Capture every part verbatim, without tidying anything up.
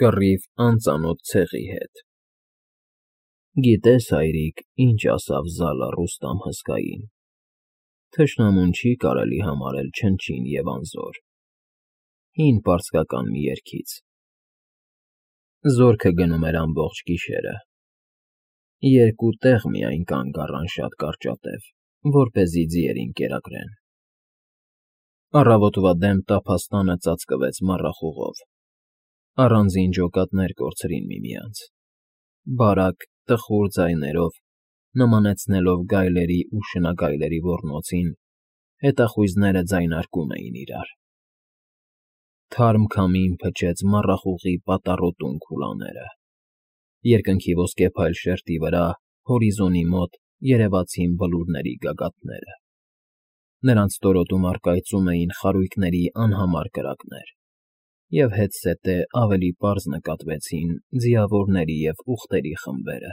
Կռիվ անծանոթ ցեղի հետ։ Գիտես, հայրիկ, ինչ ասավ Զալա Ռուստամ հսկային. թշնամուն չի կարելի համարել չնչին և անզոր, հին պարսկական մի երգից։ Զորքը գնում էր ամբողջ գիշերը, երկու տեղ միայն կանգ առան շատ կարճատև, որպեսզի ձիերին կերակրեն։ Առավոտվա դեմ տափաստանը ծածկվեց մառախուղով, առանձին ջոկատներ կորցրին միմյանց, բարակ, տխուր ձայներով, նմանեցնելով գայլերի ու շնագայլերի ոռնոցին, հետախույզները ձայնարկում էին իրար։ Թարմ քամին փչեց մառախուղի պատառոտուն քուլաները, երկնքի ոսկեփայլ շերտի վրա, հորիզոնի մոտ երևացին բլուրների գագաթները, նրանց ստորոտում առկայծում էին խարույկների անհամար կրակներ, և հետզհետե ավելի պարզ նկատվեցին ձիավորների և ուղտերի խմբերը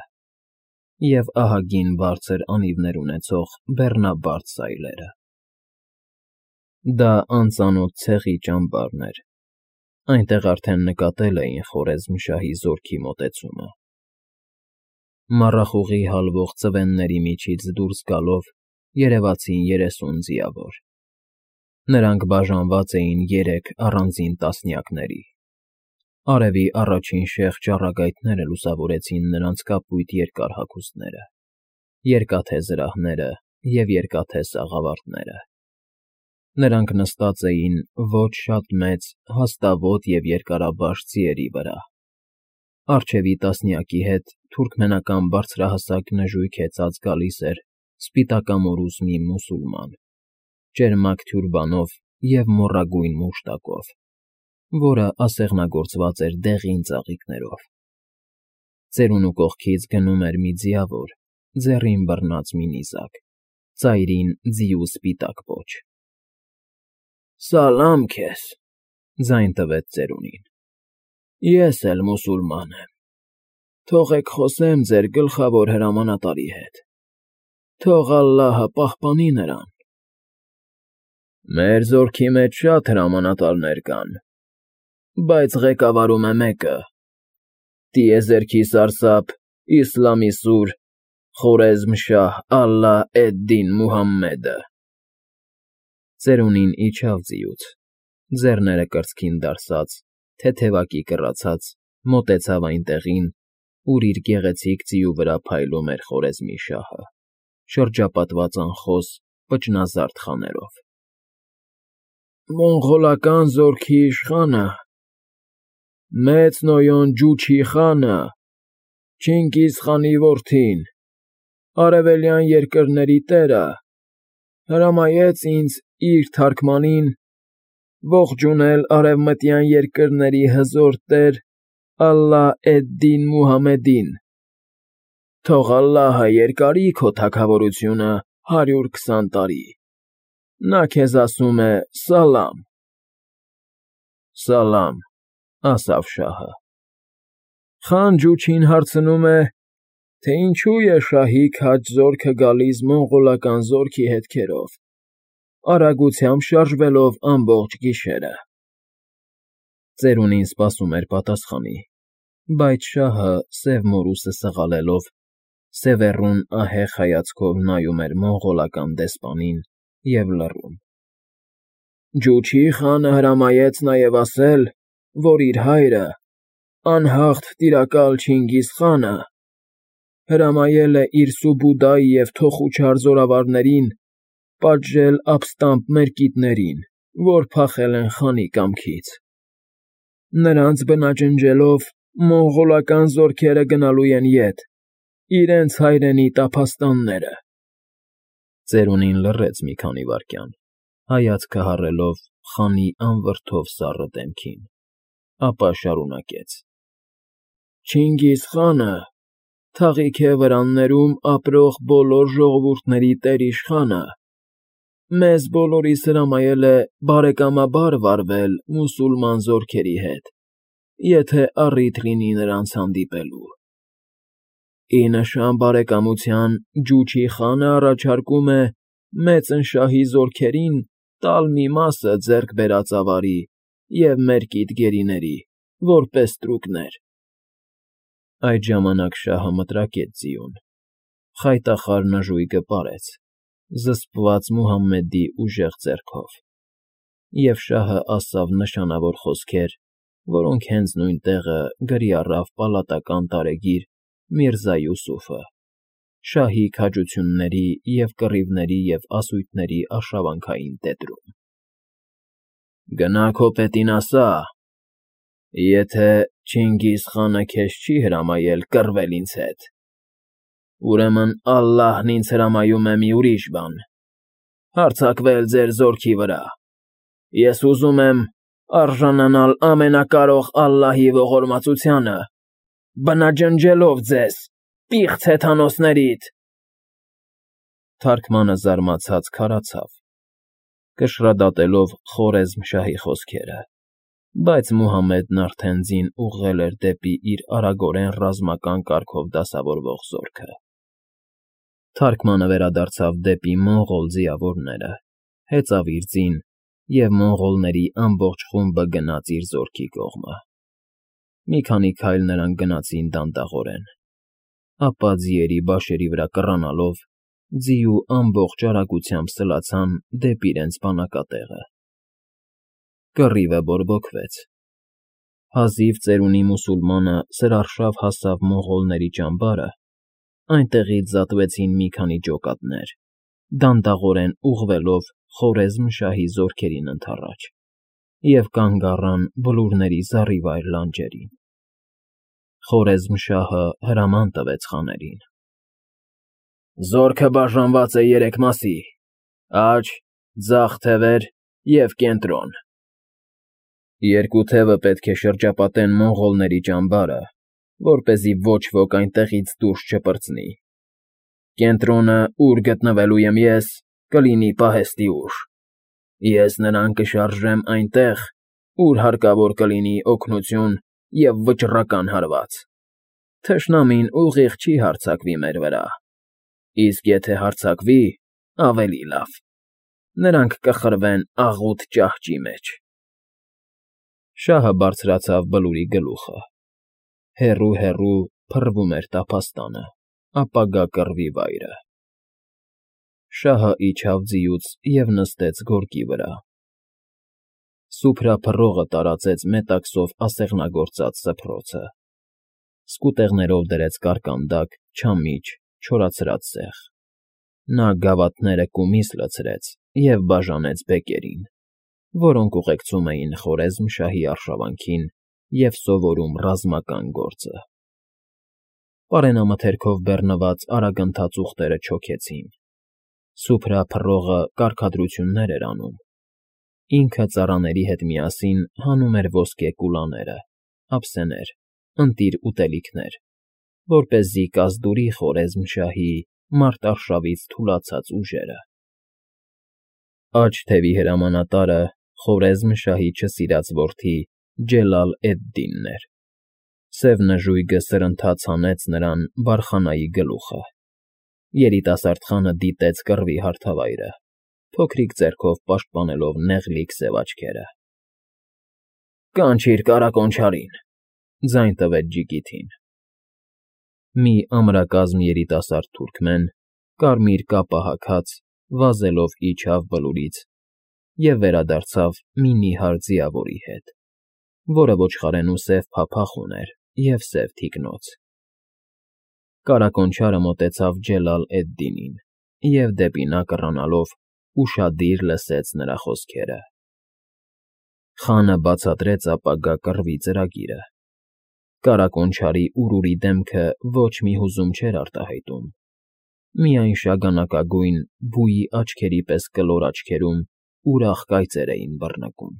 և ահագին բարձր անիվներ ունեցող բեռնաբարդ սայլերը։ Դա անծանոթ ցեղի ճամբարն էր, այնտեղ արդեն նկատել էին Խորեզմշահի զորքի մոտեցումը։ Մառախուղի հալվող ծվենների միջից դուրս գալով երևացին երեսուն ձիավոր։ Նրանք բաժանված էին երեք առանձին տասնյակների։ Արևի առաջին շեղ ճառագայթները լուսավորեցին նրանց կապույտ երկար հագուստները, երկաթե զրահները և երկաթե սաղավարտները։ Նրանք նստած էին ոչ շատ մեծ, հաստավոտ և երկարաբաշխ ձիերի վրա։ Առջևի տասնյակի հետ թուրքմենական բարձրահասակ նժույգ հեծած գալիս էր սպիտակամորուս մի մուսուլման, ճերմակ թյուրբանով և մոռագույն մուշտակով, որը ասեղնագործված էր դեղին ծաղիկներով։ Ծերունու կողքից գնում էր մի ձիավոր, ձեռին բռնած մի նիզակ, ծայրին ձիու սպիտակ պոչ։ ֊ Սալամ քեզ,֊ ձայն տվեց ծերունին,֊ ես էլ մուսուլման եմ, թողեք խոսեմ ձեր գլխավոր հրամանատարի հետ, թող ալլահը պահպանի նրան։ ֊ Մեր զորքի մեջ շատ հրամանատարներ կան, բայց ղեկավարում է մեկը՝ տիեզերքի սարսափ, իսլամի սուր Խորեզմշահ Ալլահ-էդ֊Դին Մուհամմեդը։ Ծերունին իջավ ձիուց, ձեռները կրծքին դարսած, թեթևակի կռացած, մոտեցավ այն տեղին, ուր իր գեղեցիկ ձիու վրա փայլում էր Խորեզմի շահը, շրջապատված անխոս, պճնազարդ խաներով։ ֊ Մոնղոլական զորքի իշխանը, մեծ Նոյոն Ջուչի խանը, Չինգիզ խանի որդին, արևելյան երկրների տերը, հրամայեց ինձ իր թարգմանին ողջունել արևմտյան երկրների հզոր տեր Ալլահ֊էդ֊Դին Մուհամմեդին, թող ալլահը երկարի քո թագավորությունը հարյուր քսան տարի, նա քեզ ասում է սալամ։ ֊ Սալամ,֊ ասավ շահը։ Խան Ջուչին հարցնում է, թե ինչու է շահի քաջ զորքը գալիս մոնղոլական զորքի հետքերով, արագությամբ շարժվելով ամբողջ գիշերը։ Ծերունին սպասում էր պատասխանի, բայց շահը, սև մորուսը սղալելով, սևեռուն ահեղ հայացքով նայում էր մոնղոլական դեսպանին և լռում։ ֊ Ջուչի խանը հրամայեց նաև ասել, որ իր հայրը, անհաղթ տիրակալ Չինգիզ խանը, հրամայել է իր Սուբուդայի և Թոխուչար զորավարներին պատժել ապստամբ մերկիտներին, որ փախել են խանի կամքից։ Նրանց բնաջնջելով մոնղոլական զորքերը գնալու են ետ, իրենց հայրենի տափաստանները։ Ծերունին լռեց մի քանի վայրկյան, հայացքը հառելով խանի անվրդով սառը դեմքին, ապա շարունակեց. ֊ Չինգիզ խանը, թաղիք է վրաններում ապրող բոլոր ժողովուրդների տեր֊իշխանը, մեզ բոլորիս հրամայել է բարեկամաբար վարվել մուսուլման զորքերի հետ, եթե առիթ լինի նրանց հանդիպելու։ Ի նշան բարեկամության Ջուչի խանը առաջարկում է մեծնշահի զորքերին տալ մի մասը ձեռք բերած ավարի և մերկիտ գերիների, որպես ստրուկներ։ Այդ ժամանակ շահը մտրակեց ձիուն, խայտախար նժույգը պարեց, զսպված Մուհամմեդի ուժեղ ձեռքով, և շահը ասավ նշանավոր խոսքեր, որոնք հենց նույն տեղը գրի առավ պալատական տարեգիր Միրզա Յուսուֆը, շահի քաջությունների և կռիվների և ասույթների արշավանքային տետրում։ «Գնա քո պետին ասա. եթե Չինգիզ խանը քեզ չի հրամայել կռվել ինձ հետ, ուրեմն ալլահն ինձ հրամայում է մի ուրիշ բան. հարձակվել ձեր զորքի վրա։ Ես ուզում եմ արժանանալ ամենակարող Ալլահի ողորմածությանը, բնաջնջելով ձեզ, պիղծ հեթանոսներիդ»։ Թարքմանը զարմացած քարացավ, կշռադատելով Խորեզմ֊շահի խոսքերը, բայց Մուհամմեդն արդեն ձին ուղղել էր դեպի իր արագորեն ռազմական կարգով դասավորվող զորքը։ Թարքմանը վերադարձավ դեպի մոնղոլ ձիավորները, հեծավ իր ձին, և մոնղոլների ամբողջ խումբը գնաց իր զորքի կողմը։ Մի քանի քայլ նրանք գնացին դանդաղորեն, ապա ձիերի բաշերի վրա կռանալով, ձիու ամբողջ արագությամբ սլացան դեպի իրենց բանակատեղը։ Կռիվը բորբոքվեց։ Հազիվ ծերունի մուսուլմանը սրարշավ հասավ մոնղոլների ճամբարը, այնտեղից զատվեցին մի քանի ջոկատներ, դանդաղորեն ուղղվելով Խորեզմ֊շահի զորքերին ընդառաջ, և կանգ առան բլուրների զառիվայր լանջերին։ Խորեզմ֊շահը հրաման տվեց խաներին. «Զորքը բաժանված է երեք մասի՝ աջ, ձախ թևեր և կենտրոն։ Երկու թևը պետք է շրջապատեն մոնղոլների ճամբարը, որպեսզի ոչ ոք այնտեղից դուրս չպրծնի։ Կենտրոնը, ուր գտնվելու եմ ես, կլինի պահեստի ուժ։ Ես նրան կշարժեմ այնտեղ, ուր հարկավոր կլինի օգնություն և վճռական հարված։ Թշնամին ուղիղ չի հարձակվի մեր վրա, իսկ եթե հարձակվի, ավելի լավ, նրանք կխրվեն աղութ ճահճի մեջ»։ Շահը բարձրացավ բլուրի գլուխը։ Հեռու֊հեռու փռվում էր տափաստանը, ապագա կռվի վայրը։ Շահը իջավ ձիուց և նստեց գորգի վրա։ Սուփրափռողը տարածեց մետաքսով ասեղնագործած սփռոցը, սկուտեղներով դրեց կարկանդակ, չամիչ, չորացրած սեղ։ Նա գավաթները կումիս լցրեց և բաժանեց բեկերին, որոնք ուղեկցում էին Խորեզմ֊շահի արշավանքին և սովորում ռազմական գործը։ Պարենամթերքով բեռնված արագընթաց ուղտերը չոքեցին։ Սուփրափռողը կարգադրություններ էր անում։ Ինքը ծառաների հետ միասին հանում էր ոսկե կուլաները, ափսեներ, ընտիր ուտելիքներ, որպեսզի կազդուրի Խորեզմ֊շահի մարտարշավից թուլացած ուժերը։ Աջ թևի հրամանատարը Խորեզմ֊շահի չսիրած որդի Ջելալ֊էդ֊Դինն էր։ Սև նժույգը սրընթաց հանեց նրան բարխանայի գլուխը։ Երիտասարդ խանը դիտեց կռվի հարթավայրը, փոքրիկ ձեռքով պաշտպանելով նեղլիկ սև աչքերը։ «Կանչիր կառակոնչարին», ֊ ձայն տվեց ջիկիթին։ Մի ամրակազմ երիտասարդ թուրքմեն, կարմիր կապա հագած, վազելով իջավ բլուրից և վերադարձավ մի նիհար ձիավորի հետ, որը ոչխարենու սև փափախ ուներ և սև թիկնոց։ Կառակոնչարը մոտեցավ Ջելալ֊էդ֊Դինին և, դեպի նա կռանալով, ուշադիր լսեց նրա խոսքերը։ Խանը բացատրեց ապագա կռվի ծրագիրը։ Կառակոնչարի ուրուրի դեմքը ոչ մի հուզում չէր արտահայտում, միայն շագանակագույն, բույի աչքերի պես կլոր աչքերում ուրախ կայծեր էին բռնկում։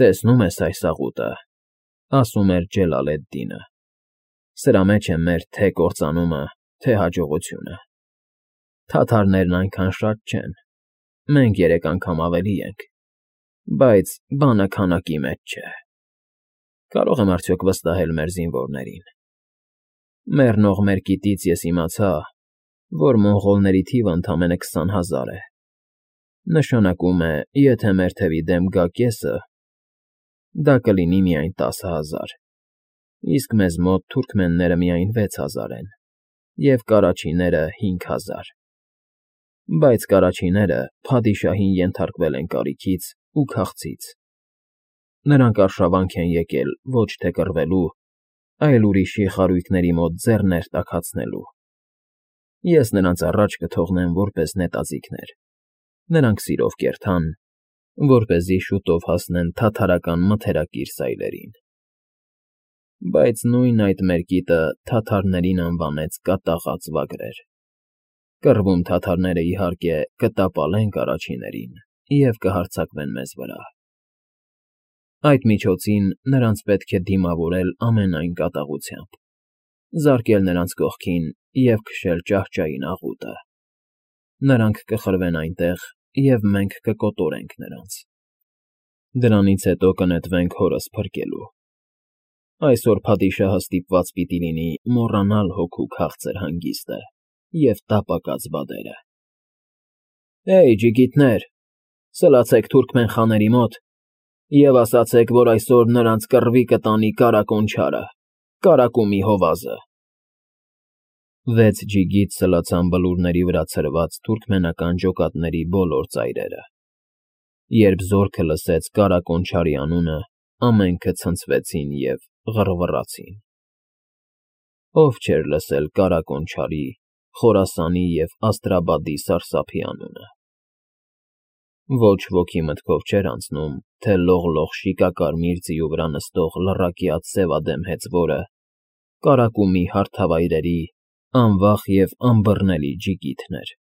«Տեսնում ես այս աղուտը», ֊ ասում էր Ջելալ֊էդ֊Դինը, «սրա մեջ է մեր թե՛ կործանումը, թե՛ հաջողությունը։ Թաթարներն այնքան շատ չեն, մենք երեք անգամ ավելի ենք, բայց բանը քանակի մեջ չէ։ Կարո՞ղ եմ արդյոք վստահել մեր զինվորներին։ Մեռնող մերկիտից ես իմացա, որ մոնղոլների թիվը ընդամենը քսան հազար է։ Նշանակում է, եթե մեր թևի դեմ գա կեսը, Դա կլինի միայն տասը հազար, իսկ մեզ մոտ թուրքմենները միայն վեց հազար են, և կարաչիները հինգ հազար, բայց կարաչիները փադիշահին ենթարկվել են կարիքից ու քաղցից. նրանք արշավանք են եկել ոչ թե կռվելու, այլ ուրիշի խարույկների մոտ ձեռներ տաքացնելու։ Ես նրանց առաջ կթողնեմ որպես նետաձիգներ, նրանք սիրով կերթան, որպեսզի շուտով հասնեն թաթարական մթերակիր սայլերին։ Բայց նույն այդ մեր կիտը թաթարներին անվանեց կատաղած վագրեր. կռվում թաթարները, իհարկե, կտապալեն կարաչիներին և կհարձակվեն մեզ վրա։ Այդ միջոցին նրանց պետք է դիմավորել ամենայն կատաղությամբ, զարկել նրանց կողքին և քշել ճահճային աղուտը։ Նրանք կխրվեն այնտեղ, և մենք կկոտորենք նրանց։ Դրանից հետո կնետվենք հորս փրկելու։ Այսօր փադիշահը ստիպված պիտի լինի մոռանալ հոգու քաղցր հանգիստը և տապակած բադերը։ Հե՜յ, ջիգիտներ, սլացեք թուրքմեն խաների մոտ և ասացեք, որ այսօր նրանց կռվի կտանի Կարակոն չարը, Կարակումի հովազը։ Վեց ջիգիտ սլացան բլուրների վրա ցրված թուրքմենական ջոկատների բոլոր ծայրերը։ Երբ զորքը լսեց Կարակոն չարի անունը, ամենքը ցնցվեցին և ғռվռացին։ Ո՞վ չէր լսել Կարակոն չարի, Խորասանի և Աստրաբադի սարսափի անունը։ Ոչ ոքի մտքով չէր անցնում, թե լողլող շիկակարմիր ձիու վրա նստող լռակյաց սևադեմ հեծվորը Կարակումի հարթավայրերի անվախ և անբռնելի ջիգիթն էր։